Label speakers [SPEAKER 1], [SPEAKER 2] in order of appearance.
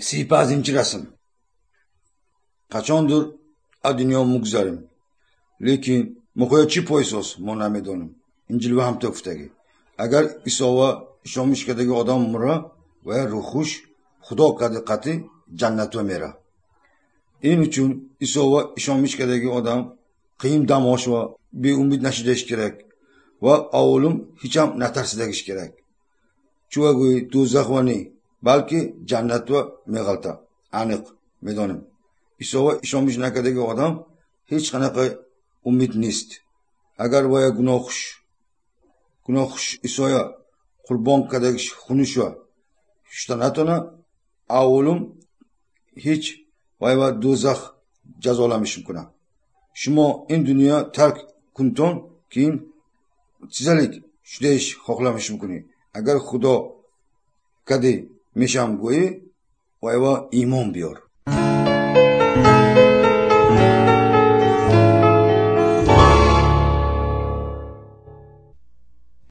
[SPEAKER 1] 35- расм. Қачондур аз дунё мугзарем, лекин мухоя чӣ пойсоз мо намедонем. Инҷил ва ҳамто гуфтагӣ. Агар Исова ишомиш кадаги одам мура ва рӯҳуш Худо қади қатӣ ҷаннатва мера. Ин учун Исова ишомиш кадаги одам қийин дам ошва беумид нашидаиш керак ва аввалум ҳечам натарсидагиш керак. Чува гӯи дӯзахва не, балки ҷаннатва меғалта. Аниқ медонем. Исова ишомиш накардаги одам ҳеҷ қанақа умид нест. Агар вая гуноҳхуш Исоя қурбон кардагиш хунушва шута натона, аввалум ҳеҷ вайва дӯзах ҷазоламиш мекунад. Шумо ин дунё тарк кунтон, keyin чизалик шудаиш хоҳламиш мекунӣ. Агар Худо кади мешам гӯӣ, вайва имон биёр.